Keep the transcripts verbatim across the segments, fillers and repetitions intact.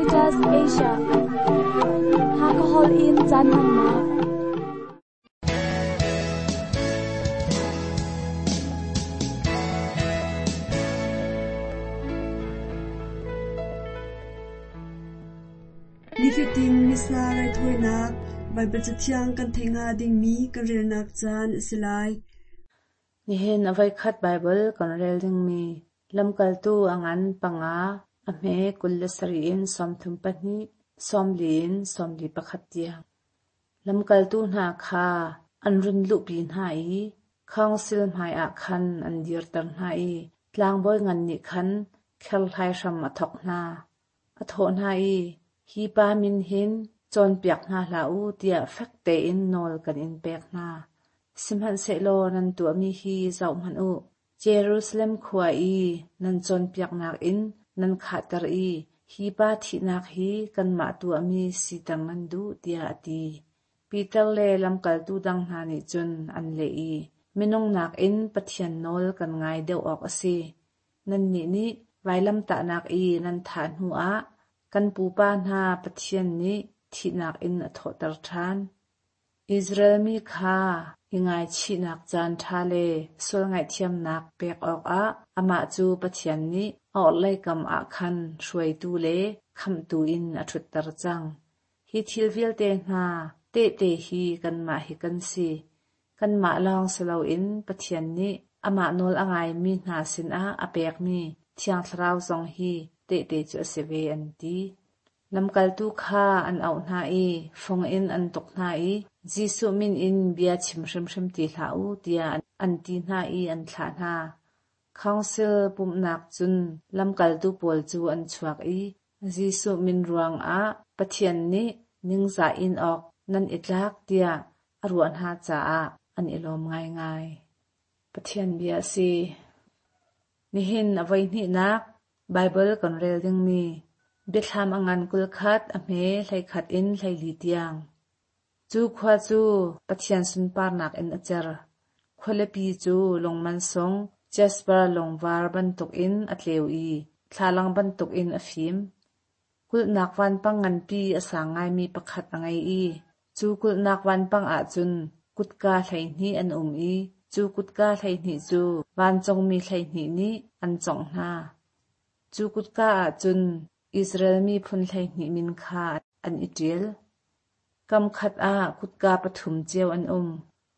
Caritas Asia. Hakahol in caan hmannak. Nifatin Missa raithawinak Baibal Cathiang kan theih hnga dingmi kan relnak caan a si lai. Nihin a voikhat Baibal kan rel dingmi lamkaltu a ngan panga a hme kul le sarih in sawmthum pahnih sawmli in sawmli pakhat tiang. Lamkaltu hna kha an run luhpi hna i council hmaiah khan an dirter hna i tlangbawi ngan nih khan kherhlai hram a thawk hna. A thawh hna i hi pa min hin cawnpiak hna hlah u tiah fek tein nawl kan in pek hna. Sihmanhsehlaw nan tuahmi hi zohhmanh u. Jerusalem khua i nan cawnpiaknak in nan khahter i hi pa thihnak hi kanmah tuahmi siter nan duh tiah a ti. Peter le lamkaltu dang hna nih cun an leh i minung nakin Pathian nawl kan ngai deuh awk a si. Nannih nih vailamtahnak i nan thah hnuah kan pupa hna Pathian nih thihnak in a thawhter ṭhan. Israel mi kha i ngaichihnak caan ṭha le sual ngaihthiamnak pek awkah amah cu Pathian nih a orhlei kam ah khan hruaitu le khamhtu in a ṭhutter cang. Hi thil vialte hna tehte hi kanmah hi kan si. Kanmah lawng si loin Pathian nih amah nawl a ngaimi hna sinah a pekmi Thiang Thlarau zong hi tehte cu a si ve an ti. Lamkaltu kha an auh hna i fung in an tuk hna i Jesuh min in bia chim hrimhrim ti hlah u tiah an ti hna i an thlah hna. Council pumhnak cun lamkaltu pawl cu an chuak i Jesuh min ruangah Pathian nih ningzah in awk nan i tlak tiah a ruah hna caah an i lawm ngaingai. Pathian bia a si. Nihin a voihnihnak Baibal kan rel dingmi biathlam a ngan kul khat a hme hleikhat in hleili tiang. Cu khua cu Pathian sunparnak in a cer. Khualipi cu lungman sung jasper lungvar bantukin a tleu i thlalang bantukin a fim. Kulhnak vanpang nganpi a sang ngaimi pakhat a ngei i cu kulhnak vanpang ahcun kutka hleihnih an um i cu kutka hleihnih cu vancungmi hleihnih nih an cawngh hna. Cu kutka ahcun Israel miphun hleihnih min kha an i ṭial. Kam khat ah kutka pathum cio an um.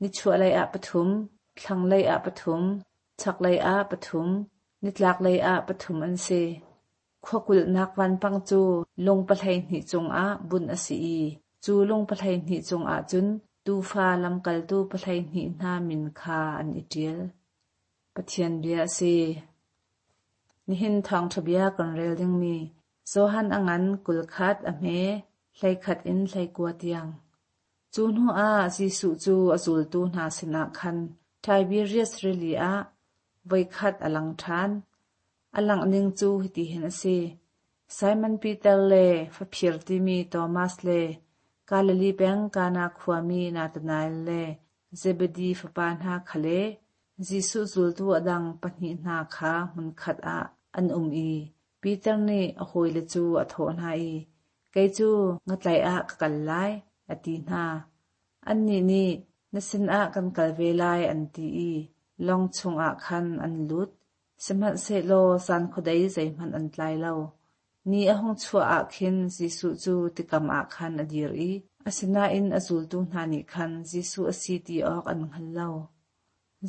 Nichuahlei ah pathum, thlanglei ah pathum, chaklei ah pathum, nitlaklei ah pathum an si. Khuakulhnak vanpang cu lung pahleihnih cungah bunh a si i cu lung pahleihnih cungah cun tuufa lamkaltu pahleihnih hna min kha an i ṭial. Pathian bia a si. Nihin thawngṭha bia kan rel dingmi Johan a ngan kul khat a hme hleikhat in hleikua tiang. Cu hnuah Jesuh cu a zultu hna sinah khan Tiberias rili ah voikhat a lang ṭhan. A langh ning cu hitihin a si. Simon Peter le faphir timi Thomas le Galilee peng Kana khuami Nathanael le Zebedi fapa hna kha le Jesuh zultu a dang pahnih hna kha hmunkhat ah an um i Peter nih a hawile cu a thawh hna i kei cu ngatlaih ah ka kal lai, a ti hna. Annih nih na sinah kan kal ve lai an ti i lawng chungah khan an lut. Sihmanhsehlaw zan khuadei zeihmanh an tlai lo. Ni a hung chuah ah khin Jesuh cu tikam ah khan a dir i asinain a zultu hna nih khan Jesuh a si ti awk an hngal lo.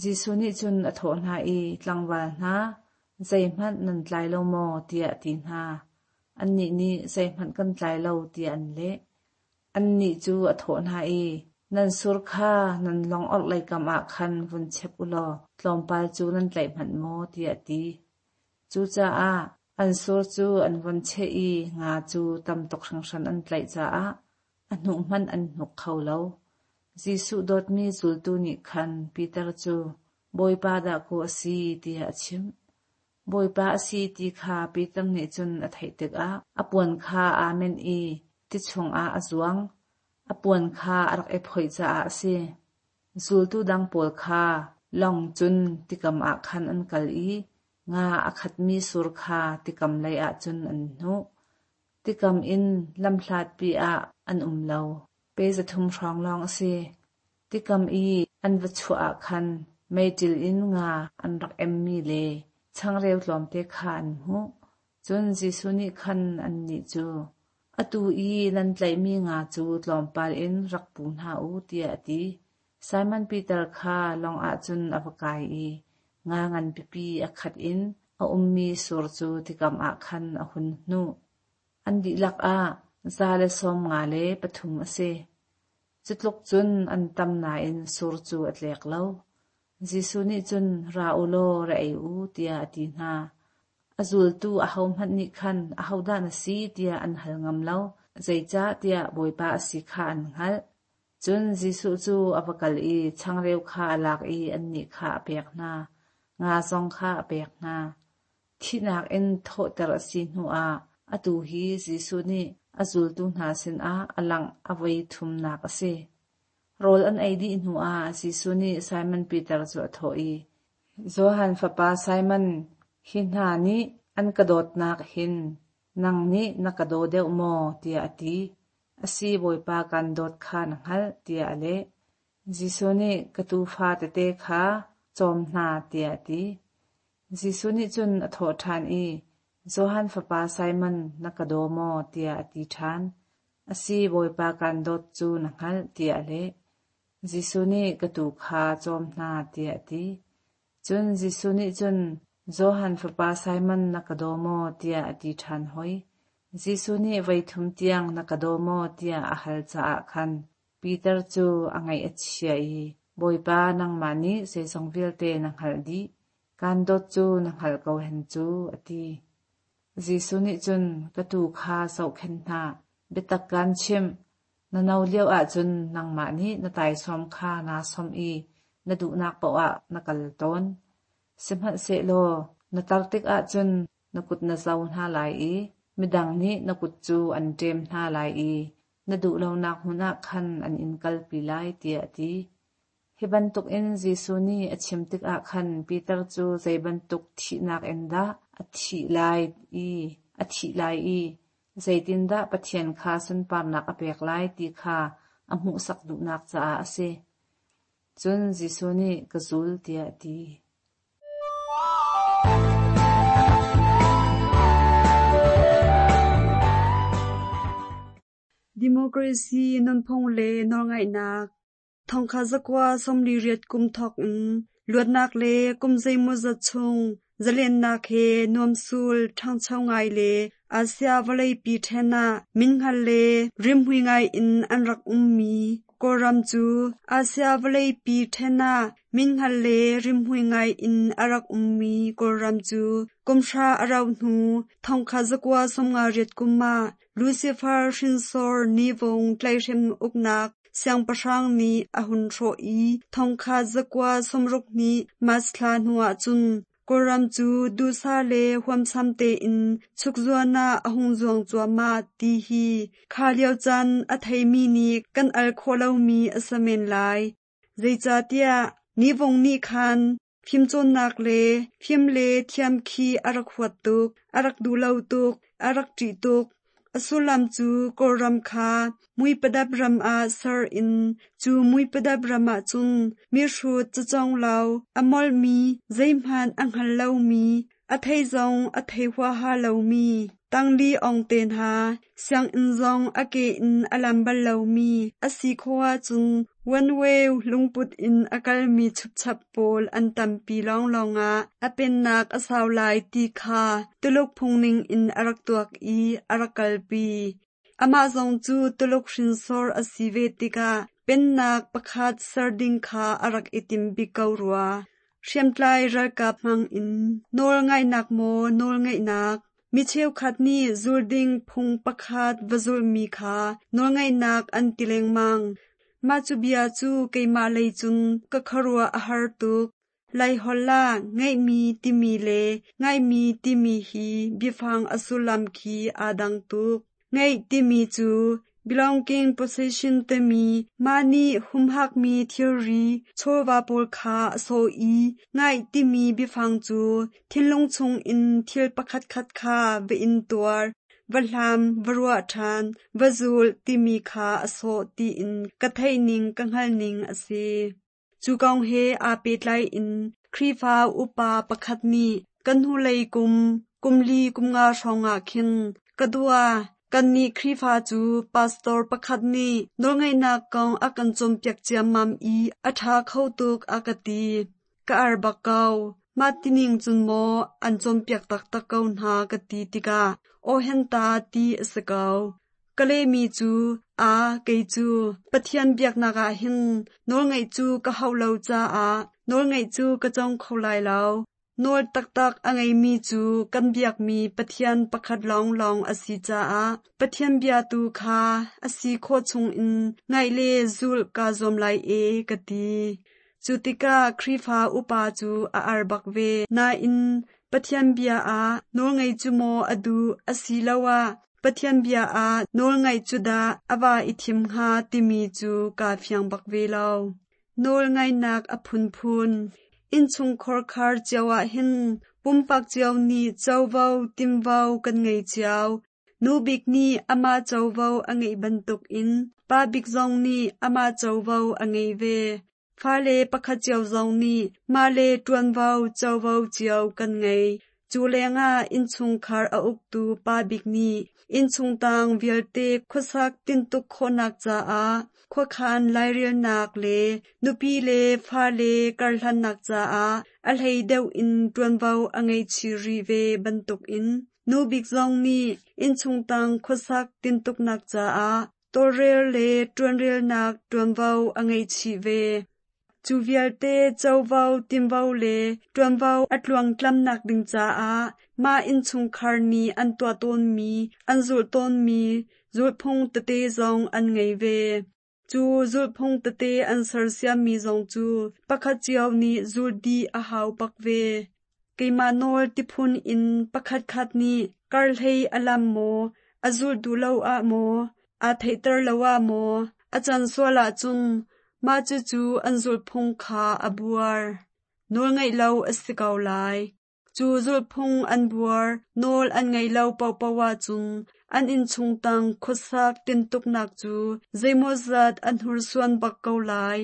Jesuh nih cun a thawh hna i tlangval hna, zeihmanh nan tlai lo maw tiah a ti hna. Annih nih zeihmanh kan tlai lo tiah an leh. Annih cu a thawh hna i nan sur kha nan lawng orhlei kam ah khan vun chep u law tlawmpal cu nan tlaih hmanh maw tiah a ti. Cucaah an sur cu an vun cheh i nga cu tam tuk hringhran an tlaih caah a hnuh hmanh an hnuk kho lo. Jesuh dawtmi zultu nih khan Peter cu Bawipa dahkaw a si tiah a chimh. Bawipa a si ti kha Peter nih cun a theih tikah a puan kha aa menh i ti chungah a zuang. A puan kha a rak i phoih caah a si. Zultu dang pawl kha lawng cun tikam ah khan an kal i nga a khatmi sur kha tikam lei ah cun an hnuh. Tikam in lamhlatpi ah an um lo, pe zathum hrawng lawng a si. Tikam i an va chuah ah khan meiṭil in nga an rak emmi le changreu tlawmte kha an hmuh. Cun Jesuh nih khan annih cu, Atu i nan tlaihmi nga cu tlawmpal in rak pu hna u, tiah a ti. Simon Peter kha lawng ah cun a va kai i nga nganpipi a khat in a ummi sur cu tikam ah khan a hun hnuh. An dihlak ah za le sawm nga le pathum a si. Cu tluk cun an tam nain sur cu a tlek lo. Jesuh nih cun, Ra u law ra ei u, tiah a ti hna. A zultu ahohmanh nih khan, Ahodah na si, tiah an hal ngam lo, zeicahtiah Bawipa a si kha an hngalh. Cun Jesuh cu a va kal i changreu kha a lak i annih kha a pek hna, nga zong kha a pek hna. Thihnak in thawhter a si hnuah atu hi Jesuh nih a zultu hna sinah a langh a voi thumnak a si. Rawl an ei dih hnuah Jesuh nih Simon Peter cu a thawh i, Johan fapa Simon, hi hna nih an ka dawtnak hin nang nih na ka daw deuh maw? tiah a ti. A si Bawipa kan dawt kha na hngalh, tiah a leh. Jesuh nih ka tuufa tete kha cawm hna, tiah a ti. Jesuh nih cun a thawh ṭhan i, Johan fapa Simon, na ka daw maw? tiah a ti ṭhan. A si Bawipa kan dawt cu na hngalh, tiah a leh. Jesuh nih ka tuu kha cawm hna, tiah a ti. Cun Jesuh nih cun, Johan fapa Simon na ka daw maw? tiah a ti ṭhan hoi. Jesuh nih voi thum tiang na ka daw maw? tiah a hal caah khan Peter cu a ngaih a chia i, Bawipa nangmah nih zeizong vialte na hngalh dih. Kaan dawt cu na hngalh ko hen cu, a ti. Jesuh nih cun, ka tuu kha zohkhenh hna, biatak kaan chimh. Na no lio ahcun nangmah nih na taisawm kha naa sawmh i na duhnak paoh ah na kal tawn. Sihmanhsehlaw na tar tik ahcun na kut na zo hna lai i midang nih na kut cu an ṭem hna lai i na duh lonak hmun ah khan an in kalpi lai, tiah a ti. Hi bantukin Jesuh nih a chim tikah khan Peter cu zei bantuk thihnak in dah a thih lai i a thih lai i zeitindah Pathian kha sunparnak a pek lai ti kha a hmuhsak duhnak caah a si. Cun Jesuh nih ka zul tiah a ti. Democracy nunphung le nawlngaihnak Thongkha zakua sawmli riat kum thawk in luatnak le kum zeimawzat chung zalennak he nuamsul ṭhangcho ngai le Asia vawleipi ṭhen ah minhngal le rimhmui ngai in an rak ummi Kawlram cu Asia vawleipi ṭhen ah minhngal le rimhmui ngai in a rak ummi Kawlram cu kum hra a rauh hnu thongkha zakua sawmnga riat kum ah Lucifer hrinsor Ne Win tlaihhrem uknak siangpahrang nih a hun hrawh i thongkhat zakua sawmruk hnih March thla hnuah cun Kawlram cu duhsah le huamsam tein chukzuan ah a hung zuang cuahmah ti hi kha lio caan a theimi nih kan al khawh lomi a si men lai. Zeicahtiah Ne Win nih khan fimcawnnak le fim le thiam khi a rak huat tuk, a rak duh lo tuk, a rak ṭih tuk. A sullam cu Kawlram kha muipadap ram ah ser in cu muipadap ram ah cun mihrut cacawng lo, a molhmi, zeihmanh a hngal lomi, a thei zong a thei huaha lomi, tangli ong te hna, sianginn zong a ke in a lam bal lomi a si khawh ahcun one way lungput in a kalmi chupchap pawl an tampi lawnglawng ah a pennak a sau lai ti kha Tuluk phungning in a rak tuak i a rak kalpi. Amah zong cu Tuluk hrinsor a si ve tikah pennak pakhat ser ding kha a rak i tim bik ko rua. Hriamtlai ralkap hmang in nawl ngaihnak maw nawl ngeihnak Mi cheukhat nih zul ding phung pakhat va zulhmi kha nawlngaihnak an ti lengmang. Mah cu bia cu keimah lei cun ka khuaruah a har tuk. Laiholh ah ngeihmi timi le ngaihmi timi hi biafang a sullam khi aa dang tuk. Ngeih timi cu belonging possession timi mah nih humhakmi thilri chawva pawl kha a sawh i ngaih timi biafang cu thinlung chungin thil pakhatkhat kha va in tuar, va hlam, va ruah ṭhan, va zul timi kha a sawh tiin ka theihning ka hngalhning a si. Cu kong he aa pehtlai in Khrihfa upa pakhat nih kan hnulei kum, kum li kum nga hrawngah khin ka dua kannih Khrihfa cu pastor pakhat nih nawlngaihnak kong a kan cawnpiak ciammam i a ṭha kho tuk a ka ti. Ka ar bak ko. Mah tining cun maw an cawnpiak taktak ko hna ka ti tikah aw henta ti a si ko. Ka lehmi cu a kei cu Pathian biaknak ah hin nawlngaih cu ka hauh lo caah nawlngaih cu ka cawng kho lai lo. Nawl taktak a ngeimi cu kan biakmi Pathian pakhat lawnglawng a si caah Pathian bia tu kha a si khawh chungin ngaih le zulh kaa zuam lai e ka ti. Cu tikah Khrihfa upa cu a ar bak ve. Nain Pathian bia ah nawlngaih cu maw a duh asiloah Pathian bia ah nawlngaih cu dah a va i thim hnga timi cu kaa fiang bak ve lo. Nawlngaihnak a phunphun. Innchungkhar khar cio ah hin pumpak cio nih covo tinvo kan ngei cio. Nu bik nih amah covo a ngeih bantukin pa bik zong nih amah covo a ngei ve. Fale pakhat cio zong nih mah le ṭuanvo covo cio kan ngei. Cu lengah innchungkhar a uktu pa bik nih innchungtang vialte khuasak tintuk khawhnak caah khuakhan lairelnak le nupi le fale karhlannak caah a hlei deuh in ṭuanvo a ngei chih rih ve bantukin nu bik zong nih innchungtang khuasak tintuknak caah tawlrel le ṭuanrelnak ṭuanvo a ngei chih ve. Cu vialte covo tinvo le ṭuanvo a tluangtlamnak ding caah mah innchungkhar nih an tuah tawnmi, an zulh tawnmi zulhphung tete zong an ngei ve. Cu zulhphung tete an sersiammi zong cu pakhat cio nih zulh dih a hau bak ve. Keimah nawl tiphun in pakhatkhat nih karhlei a lam maw, a zulh duh lo ah maw, aa theihter lo ah maw, a can sual ahcun mah cucu an zulhphung kha a buar. Nawlngaih lo a si ko lai. Cu zulhphung an buar, nawl an ngaih lo paohpaoh ahcun an innchungtang khuasak tintuknak cu zeimawzat an hursuan bak ko lai.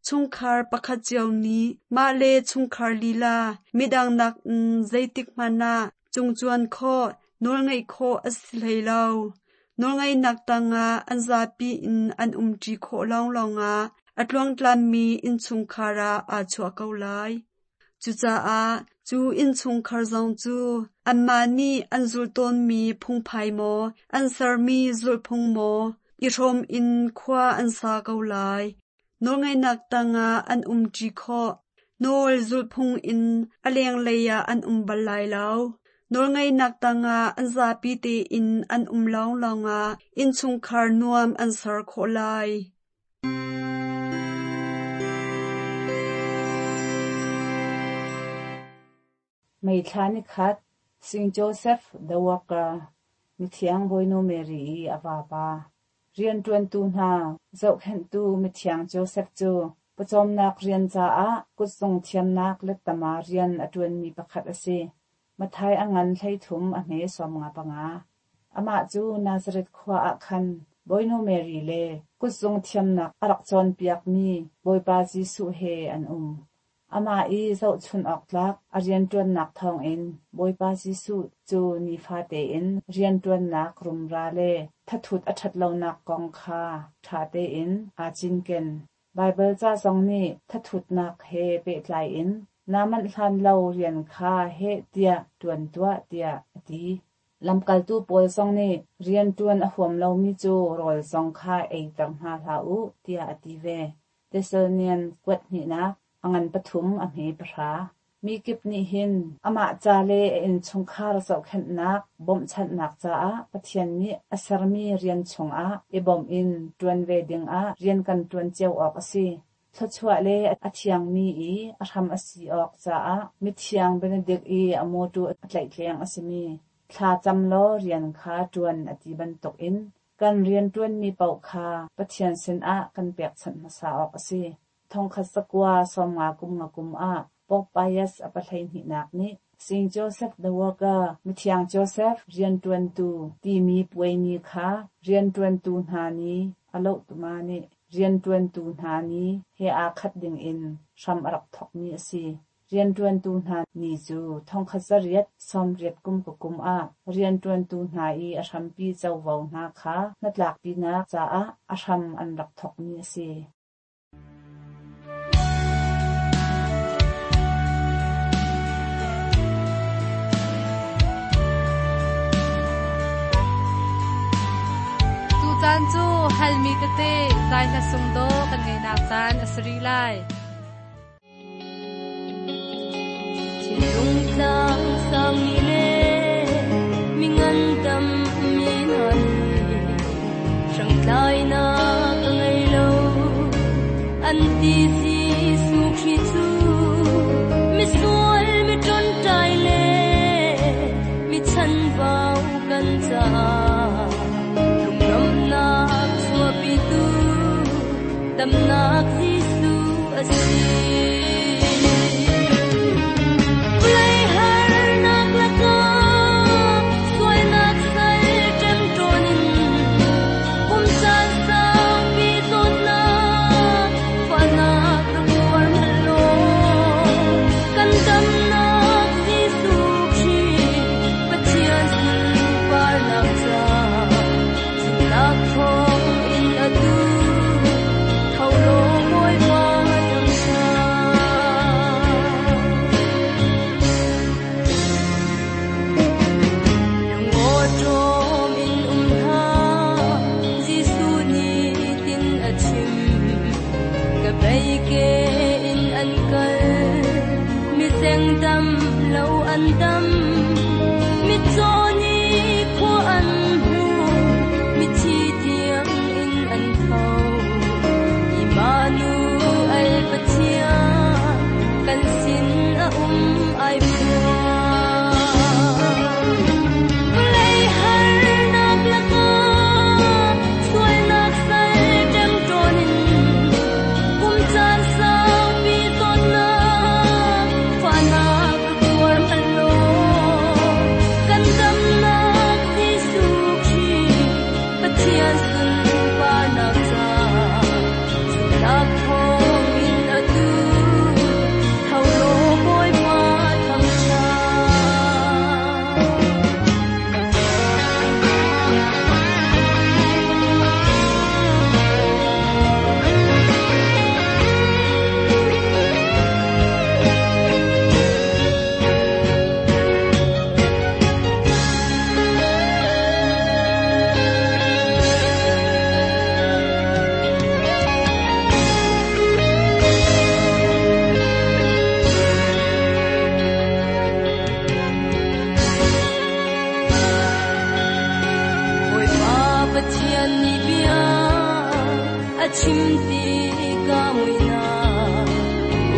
Chungkhar pakhat cio nih mah le chungkhar lila midang nakin zeitik hmanh ah cungcuan khawh, nawlngaih khawh a si hlei lo. Nawlngaihnak tangah an zapi in an umṭi khawh lawnglawng ah a tluangtlammi innchungkhar ah aa chuah ko lai. Cucaah cu innchungkhar zong cu anmah nih an zulh tawnmi phungphai maw, an sermi zulhphung maw, i hrawm in khua an sa ko lai. Nawlngaihnak tangah an umṭi khawh. Nawl zulhphung in a lenglei ah an um bal lai lo. Nawlngaihnak tangah an zapi tein an um lawnglawng ah innchungkhar nuam an ser khawh lai. May thla ni khat, Saint Joseph the Worker, mithiang Bawinu Mary i a vapa. Rianṭuantu hna zohkhenhtu mithiang Joseph cu pawcawmnak rian caah kutzung thiamnak lettama rian a ṭuanmi pakhat a si. Matthai a ngan hleithum a hme sawm nga panga. Amah cu Nazareth khua ah khan Bawinu Mary le kutzung thiamnak a rak cawnpiakmi Bawipa Jesuh he an um. Amah i zohchun awk tlak a rianṭuannak thawngin Bawipa Jesuh cu nifa tein rianṭuannak rumra le thathut a ṭhatlonak kong kha ṭha tein aa cinken. Baibal ca zong nih thathutnak he pehtlai in naa manh hlan lo rian kha heh tiah ṭuan tuah tiah a ti. Lamkaltu pawl zong nih rianṭuan a huam lomi cu rawl zong kha eiter hna hlah u tiah a ti ve. Thessalonian kuat hnihnak a ngan pathum a hme pahra. Mi kip nih hin amah ca le a innchungkhar zohkhenhnak bawmhchanhnak caah Pathian nih a sermi rian chungah i bawmh in ṭuan ve dingah rian kan ṭuan cio awk a si. Thluachuah le a thiangmi i a hram a si awk caah mithiang Benedict i a mawṭaw a tlaihtleng a simi thla cam law rian kha ṭuan a ti bantukin kan rianṭuanmi paoh kha Pathian sinah kan pekchanh hmasa awk a si. Thongkhat zakua sawmnga kum nga kum ah Pope Pius a pahleihnak nih Saint Joseph the Worker, Mithiang Joseph rianṭuantu timi puai ni kha rianṭuantu hna ni a lohtuma nih rianṭuantu hna ni he aa khat dingin hram a rak thawkmi a si. Rianṭuantu hna ni cu thongkhat zariat sawmriat kum kum ah rianṭuantu hna i a hrampi covo hna kha hnatlakpinak caah a hram an rak thawkmi a si. Tucaan cu halmi tete zai hla sungdawh kan ngeihnak caan a si rih lai. Thinlung tlang sangmi le mi ngandam mi hna nih hrangtlainak a ngei lo. An ti Jesuh Khrih cu misual mi ṭonṭai le mi chanbau kan caah lungnuamhnak chuahpitu damnak Jesuh a si. Vawlei harnak lakah sualnak sal ṭemṭawn in kum caan saupi zawtnak fahnak rak tuar hmanh law kan damnak Jesuh Khrih Pathian sunparnak caah zumhnak thawngin atu tho law Bawipa thangṭhat. Lungawṭawm in um hlah, Jesuh nih tin a chim. Ka bei ke in an kal, mizeng dam lo an dam, mitcaw nih khua an hmu, mithi tiang in an tho. Immanuel Pathian kan sin a um ai phuang. Vawlei harnak lakah sualnak sal ṭemṭawn in kum caan saupi zawtnak fahnak rak tuar hmanh law kan damnak Jesuh Khrih Pathian sunparnak caah zumhnak thawngin atu tho law Bawipa thangṭhat. Bawipa Pathian nih bia a chim tikah muihnak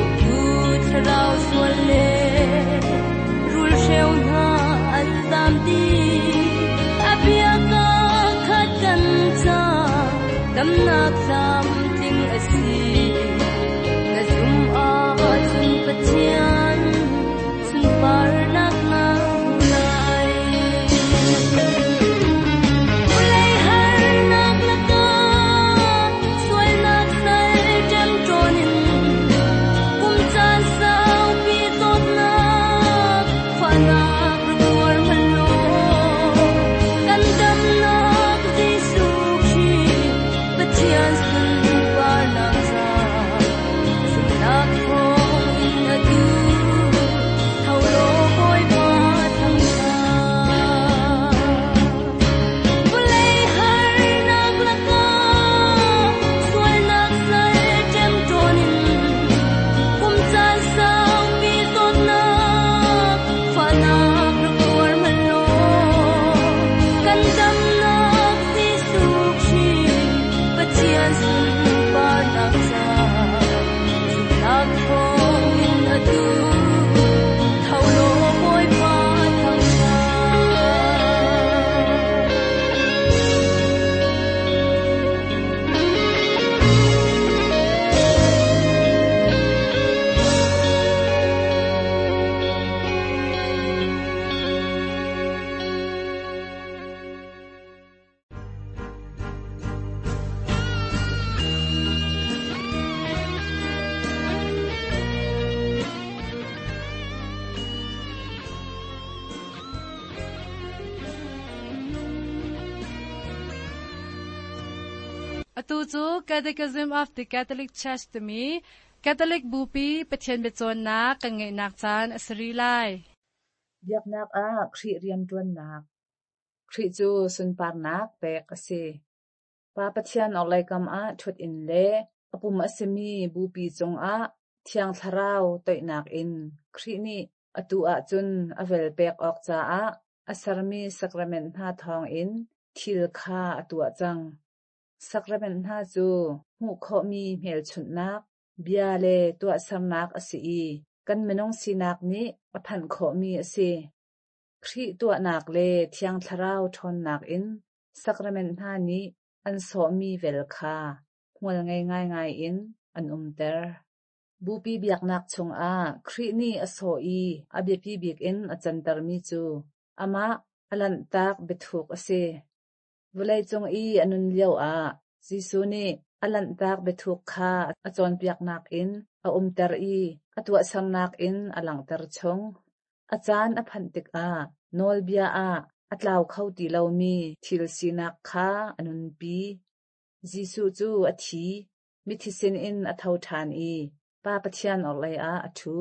uktu thlarau sual le rulhreu hna an zam dih. A bia kaa khat kan ca damnak tlamtling a si. Na zum ahcun Pathian sunparnak na hmu lai. Vawlei harnak lakah sualnak sal ṭemṭawn in kum caan saupi zawtnak fahnak rak tuar hmanh law kan damnak Jesuh Khrih Pathian sunparnak Atu cu Catechism of the Catholic Church timi Catholic Bupi Pathian biacawnnak kan ngeihnak caan a si rih lai. Biaknak ah Khrih rianṭuannak. Khrih cu sunparnak pek a si. Pa Pathian orhlei kam ah ṭhut in le a pum a simi Bupi cungah Thiang Thlarau toihnak in Khrih nih atu ahcun a vel pek awk caah a sermi sacrament hna thawngin thil kha a tuah cang. Sacrament hna cu hmuh khawhmi hmelchunhnak, bia le tuahsernak a si i kan minung sinak nih a phanh khawhmi a si. Khrih tuahnak le Thiang Thlarau ṭhawnnak in sacrament hna nih an sawhmi vel kha hmual ngei ngaingai in an umter. Bupi biaknak chungah Khrih nih a sawh i a biapi bik in a cantermi cu amah a lanhtak biathuk a si. Vawleicung i a nun lioah Jesuh nih a lanhtak biathuk kha a cawnpiaknak in a umter i a tuahsernak in a langhter chung. A caan a phanh tikah nawlbia ah a tlau kho ti lomi thil sinak kha a nunpi. Jesuh cu a thi, mithi sinin a tho ṭhan i Pa Pathian orhlei ah a ṭhu.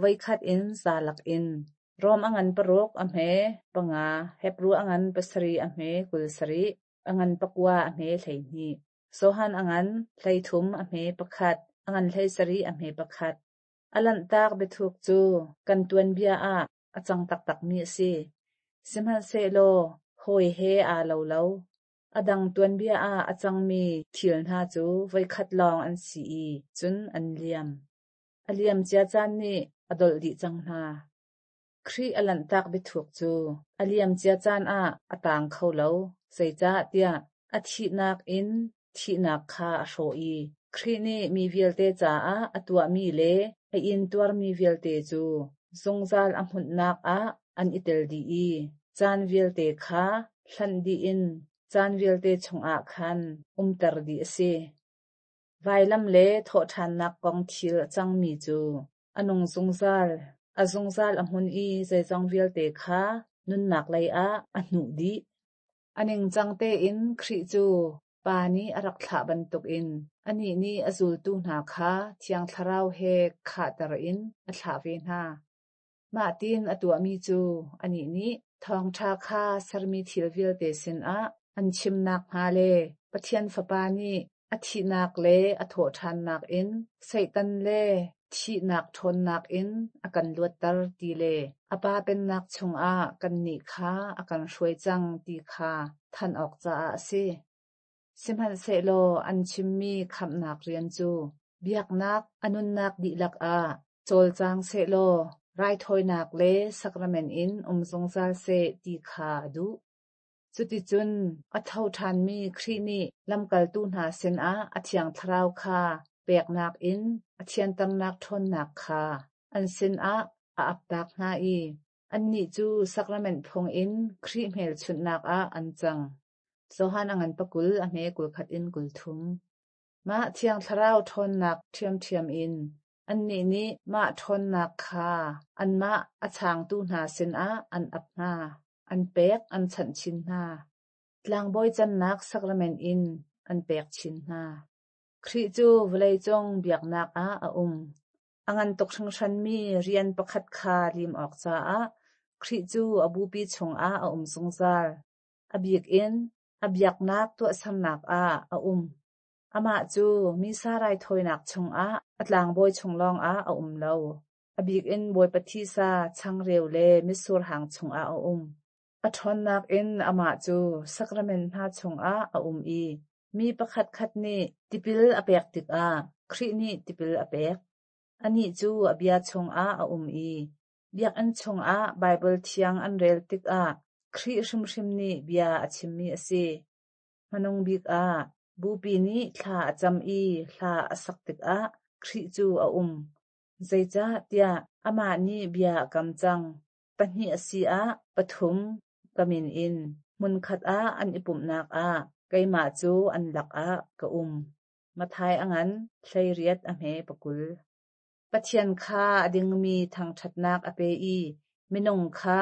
Voikhat in zalak in Rom a ngan paruk a hme panga, Hebru a ngan pasarih a hme kul sarih, a ngan pakua a hme hleihnih, Johan a ngan hleithum a hme pakhat, a ngan hleisarih a hme pakhat. A lanhtak biathuk cu kan tuanbia ah a cang taktakmi a si. Sihmanhsehlaw hawi he aa lo lo. A dang tuanbia ah a cangmi thil hna cu voikhat lawng an si i cun an liam. A liam cia caan nih a dolh dih cang hna. Khrih a lanhtak biathuk cu a liam cia caan ah a taang kho lo, zeicahtiah a thihnak in thihnak kha a hrawh i Khrih nih mi vialte caah a tuahmi le a intuarmi vialte cu zungzal a hmunhnak ah an i tel dih i caan vialte kha hlanh dih in caan vialte chungah khan umter dih a si. Vailam le thawhṭhannak kong thil a cangmi cu a nung zungzal, a zungzal a hmun i zeizong vialte kha nunnak lei ah a hnuh dih. A ningcang tein Khrih cu Pa nih a rak thlah bantukin anih nih a zultu hna kha Thiang Thlarau he khahter in a thlah ve hna. Mah tiin a tuahmi cu anih nih thawngṭha kha sermi thil vialte sinah an chimnak hnga le Pathian Fapa nih a thihnak le a thawhṭhannak in Satan le thihnak ṭhawnnak in a kan luatter ti le a Pa pennak chungah kannih kha a kan hruai cang ti kha thanh awk caah a si. Sihmanhsehlaw an chimmi khamhnak rian cu biaknak a nunnak dihlak ah cawlcang sehlaw raithawinak le sacrament in um zungzal seh ti kha a duh. Cuticun a tho ṭhanmi Khrih nih lamkaltu hna sinah a Thiang Thlarau kha peknak in a thianternak ṭhawnnak kha an sinah a aptak hna i annih cu sacrament phung in Khrih hmelchunhnak ah an cang. Johan a ngan pakul a hme kul khat in kul thum. Mah Thiang Thlarau ṭhawnnak ṭhiamṭhiam in annih nih mah ṭhawnnak kha anmah a changtu hna sinah an ap hna, an pek an chanh chin hna. Tlangbawi cannak sacrament in an pek chin hna. Khrih cu vawleicung biaknak ah a um. A ngan tuk hringhranmi rian pakhat kha lim awk caah Khrih cu a bupi chungah a um zungzal. A bik in a biaknak tuahsernak ah a um. Amah cu Missa raithawinak chungah a tlangbawi chung lawngah a um lo. A bik in Bawipa thisa, changreu le mitsur hang chungah a um. A ṭhawnnak in amah cu sacrament hna chungah a um i mi pakhatkhat nih tipil a pek tikah Khrih nih tipil a pek. Anih cu a bia chungah a um i biakinn chungah Baibal thiang an rel tikah Khrih hrimhrim nih bia a chimmi a si. Hmanung bik ah Bupi nih thla a cam i hla a sak tikah Khrih cu a um. Zeicahtiah amah nih bia a kam cang. Pahnih a si ah pathum ka min in hmunkhat ah an i pumhnak ah keimah cu an lakah ka um. Matthai a ngan hleiriat a hme pakul. Pathian kha a dingmi thangṭhatnak a pe i minung kha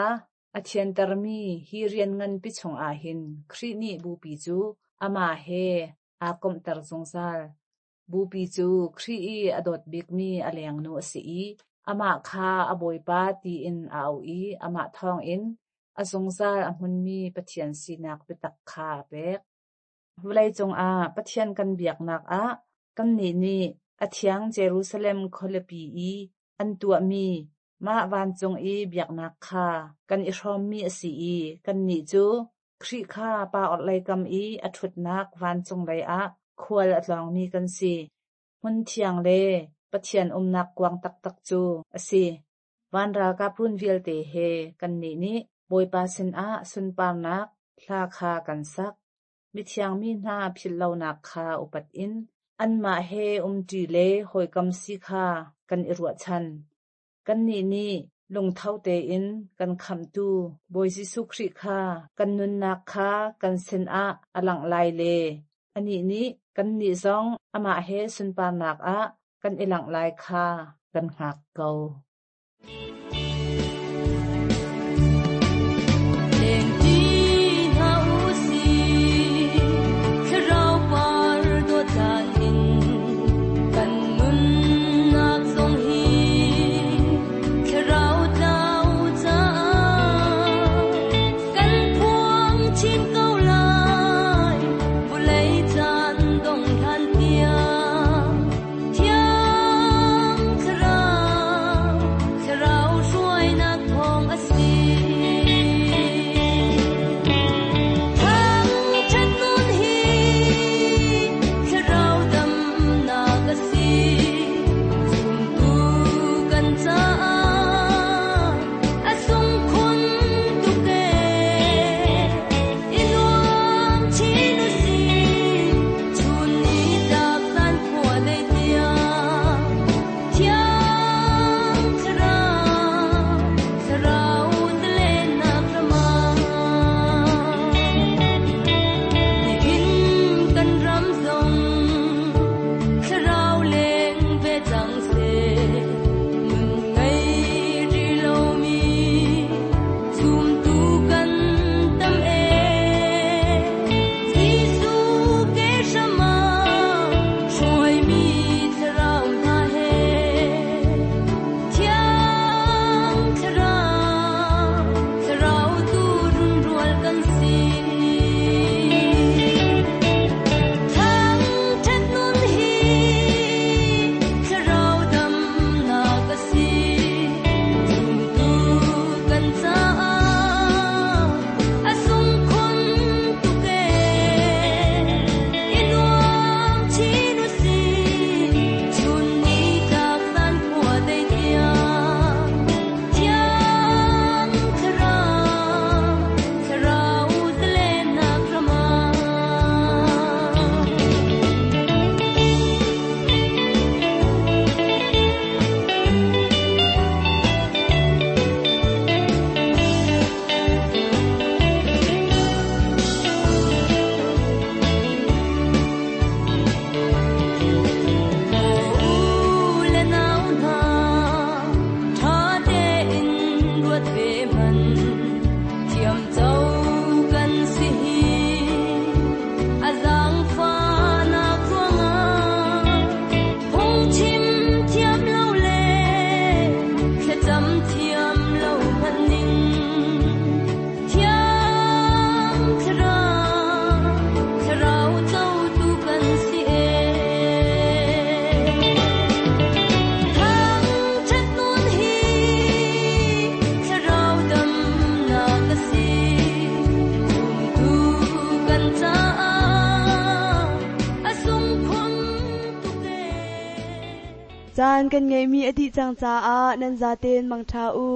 a thiantermi hi rian nganpi chungah hin Khrih nih Bupi cu amah he aa komhter zungzal. Bupi cu Khrih i a dawt bikmi a lengnu a si i amah kha a Bawipa tiin a auh i amah thawngin a zungzal a hmunmi Pathian sinak biatak kha a pek. Vawlei cungah Pathian kan biaknak ah kannih nih a thiang Jerusalem khualipi i an tuahmi mah vancung i biaknak kha kan i hrawmmi a si i kannih cu Khrih kha Pa orhlei kam i a ṭhutnak vancung lei ah khual a tlawngmi kan si. Hmun thiang le Pathian umnak kuang taktak cu a si. Van ralkap run vialte he kannih nih Bawipa sinah sunparnak hla kha kan sak. Mithiang mi hna philhlonak kha upat in anmah he umṭi le hawikom si kha kan i ruahchan. Kannih nih lungtho tein kan khamhtu Bawi Jesuh Khrih kha kan nunnak kha kan sinah a langh lai le anih nih kannih zong amah he sunparnak ah kan i langh lai kha kan hngak ko. Lengṭi hna u sih, thlarau par dawtlan in kan nunnak zong hi thlarau tlau caah kan phuang chin ko lai vawlei caan dong hlan tiang thiang thlarau thlarau hruainak thawng a si. Thangṭhat nun hi thlarau damnak a si, zumtu kan caah a sung khun tuk ee. I nuam chin u sih, chun ni tlak zan khua dei tiang. Thiang thlarau, thlarau zalennak ram ah. Nihin kan ram zong thlarau leng ve cang seh, nun ngei rih lomi zumtu kan tam ee. Jesuh ke hram ah hruaimi thlarau hna he, thiang thlarau, thlarau tu runrual kan si. Thangṭhat nun hi thlarau damnak a si, zumtu kan caah a sung khun tuk ee. I nuam chin u sih, chun ni tlak zan khua dei tiang. Thiang thlarau, thlarau zalennak ram ah. U le nau hna, ṭha tein ruat ve hmanh, thiamco kan si hi. A zaangfahnak ruangah phungchim thiam lo le thlacam thiam lo hmanh ning. Thiang thlarau, thlarau cotu kan si ee. Thangṭhat nun hi thlarau damnak a si, zumtu kan caah a sung khun tuk ee. Caan kan ngeihmi a dih cang caah nan zaten mangṭha u.